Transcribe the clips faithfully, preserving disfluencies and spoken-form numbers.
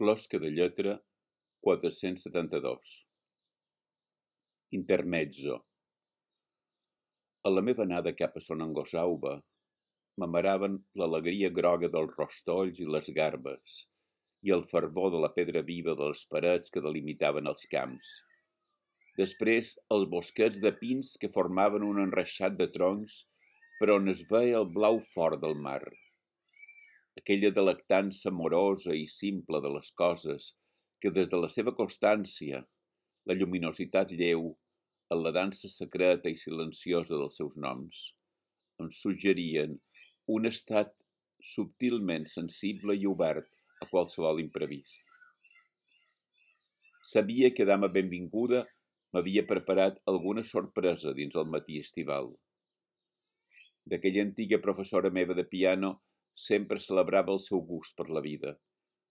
Closca de lletra quatre-cents setanta-dos. Intermezzo. A la meva anada cap a Son Angosauba m'amaraven l'alegria groga dels rostolls i les garbes i el fervor de la pedra viva de les parets que delimitaven els camps. Després, els bosquets de pins que formaven un enreixat de troncs per on es veia el blau fort del mar. Aquella delectança amorosa i simple de les coses que des de la seva constància, la lluminositat lleu, en la dansa secreta i silenciosa dels seus noms, em suggerien un estat subtilment sensible i obert a qualsevol imprevist. Sabia que dama benvinguda m'havia preparat alguna sorpresa dins el matí estival. D'aquella antiga professora meva de piano sempre celebrava el seu gust per la vida,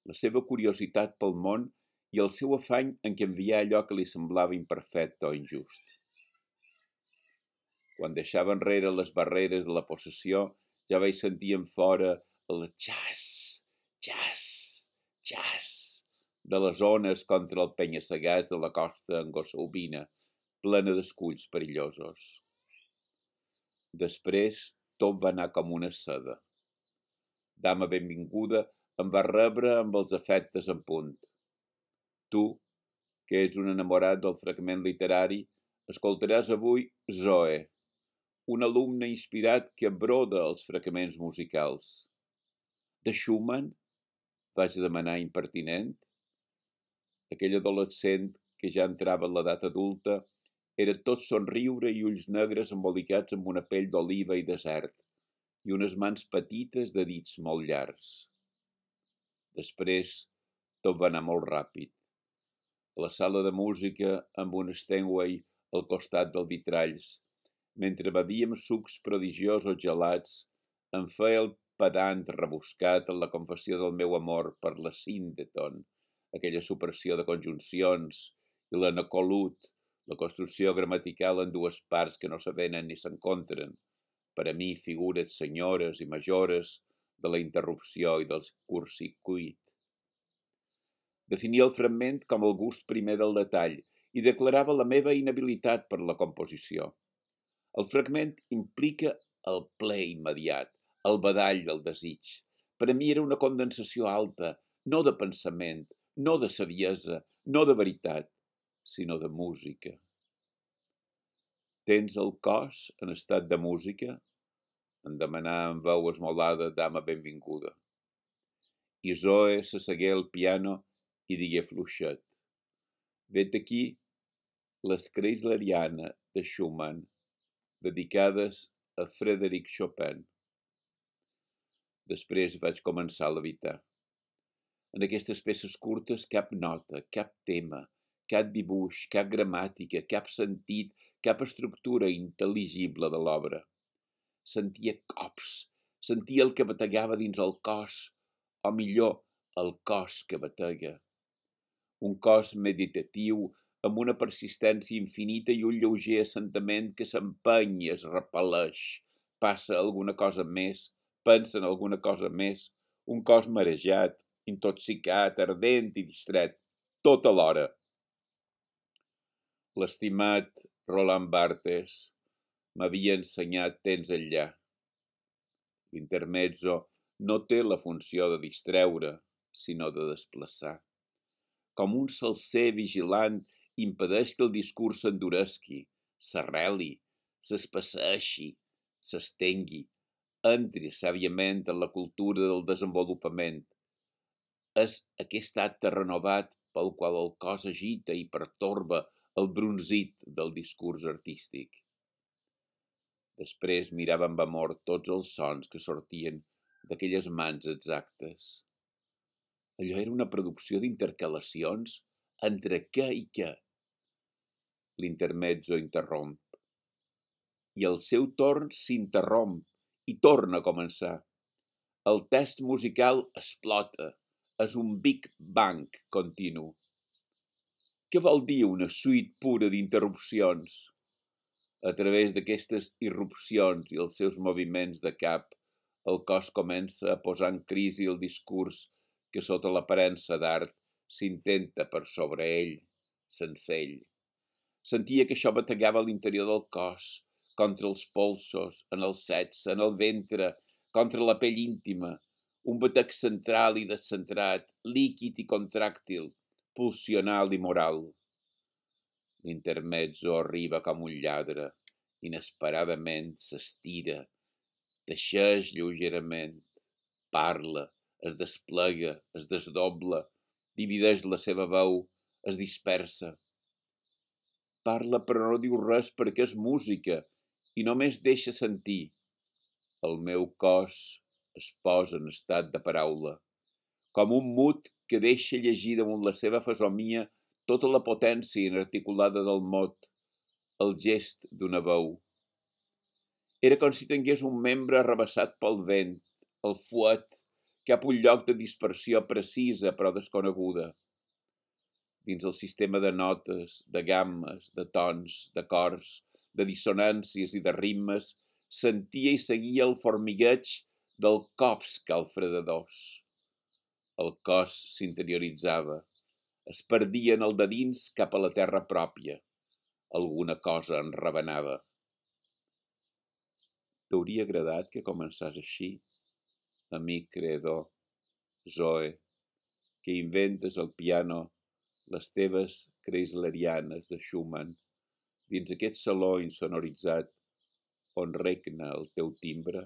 la seva curiositat pel món i el seu afany en canviar allò que li semblava imperfecte o injust. Quan deixava enrere les barreres de la possessió, ja vaig sentir en fora el xas, xas, xas de les ones contra el penya-segats de la costa angossaubina, plena d'esculls perillosos. Després, tot va anar com una seda. Dama benvinguda em va rebre amb els afectes en punt. Tu, que ets un enamorat del fragment literari, escoltaràs avui Zoe, un alumne inspirat que broda els fragments musicals. De Schumann? Vaig demanar impertinent. Aquell adolescent que ja entrava en l'edat adulta era tot somriure i ulls negres embolicats amb una pell d'oliva i desert i unes mans petites de dits molt llargs. Després, tot va anar molt ràpid. A la sala de música, amb un Steinway al costat dels vitralls, mentre bevíem sucs prodigiosos gelats, em feia el pedant rebuscat en la confessió del meu amor per la síndeton, aquella supressió de conjuncions, i l'anacolut, la construcció gramatical en dues parts que no s'avenen ni s'encontren, per a mi figures senyores i majores de la interrupció i del curtcircuit. Definia el fragment com el gust primer del detall i declarava la meva inhabilitat per la composició. El fragment implica el ple immediat, el badall del desig. Per a mi era una condensació alta, no de pensament, no de saviesa, no de veritat, sinó de música. Tens el cos en estat de música? Em demanà amb veu esmolada dama benvinguda. I Zoe s'assegué al piano i digué fluixet: vet aquí les Kreisleriana de Schumann, dedicades a Frédéric Chopin. Després vaig començar a levitar. En aquestes peces curtes cap nota, cap tema, cap dibuix, cap gramàtica, cap sentit, cap estructura intel·ligible de l'obra. Sentia cops, sentia el que bategava dins el cos, o millor, el cos que batega. Un cos meditatiu amb una persistència infinita i un lleuger assentament que s'empeny i es repel·leix, passa alguna cosa més, pensa en alguna cosa més, un cos marejat, intoxicat, ardent i distret, tot alhora. L'estimat Roland Barthes m'havia ensenyat temps enllà. L'intermezzo no té la funció de distreure, sinó de desplaçar. Com un salser vigilant impedeix que el discurs s'enduresqui, s'arreli, s'espesseixi, s'estengui, entri sàviament en la cultura del desenvolupament. És aquest acte renovat pel qual el cos agita i pertorba el brunzit del discurs artístic. Després mirava amb amor tots els sons que sortien d'aquelles mans exactes. Allò era una producció d'intercalacions entre què i què. L'intermezzo interromp. I al seu torn s'interromp i torna a començar. El text musical explota. És un Big Bang continu. Què vol dir una suite pura d'interrupcions? A través d'aquestes irrupcions i els seus moviments de cap, el cos comença a posar en crisi el discurs que sota l'aparença d'art s'intenta per sobre ell, sense ell. Sentia que això bategava a l'interior del cos, contra els polsos, en el sexe, en el ventre, contra la pell íntima, un batec central i descentrat, líquid i contràctil, pulsional i moral. L'intermezzo arriba com un lladre, inesperadament s'estira, teixeix lleugerament, parla, es desplega, es desdobla, divideix la seva veu, es dispersa. Parla però no diu res perquè és música i només deixa sentir. El meu cos es posa en estat de paraula, com un mut que deixa llegir damunt la seva fesomia tota la potència inarticulada del mot, el gest d'una veu. Era com si tingués un membre arrabassat pel vent, el fuet, cap un lloc de dispersió precisa però desconeguda. Dins el sistema de notes, de gammes, de tons, d'acords, de dissonàncies i de ritmes, sentia i seguia el formigueig del cops calfredadors. El cos s'interioritzava, es perdia en el de dins cap a la terra pròpia. Alguna cosa en rebenava. T'hauria agradat que començàs així, amic creador, Zoe, que inventes al piano les teves Chryslerianes de Schumann dins aquest saló insonoritzat on regna el teu timbre?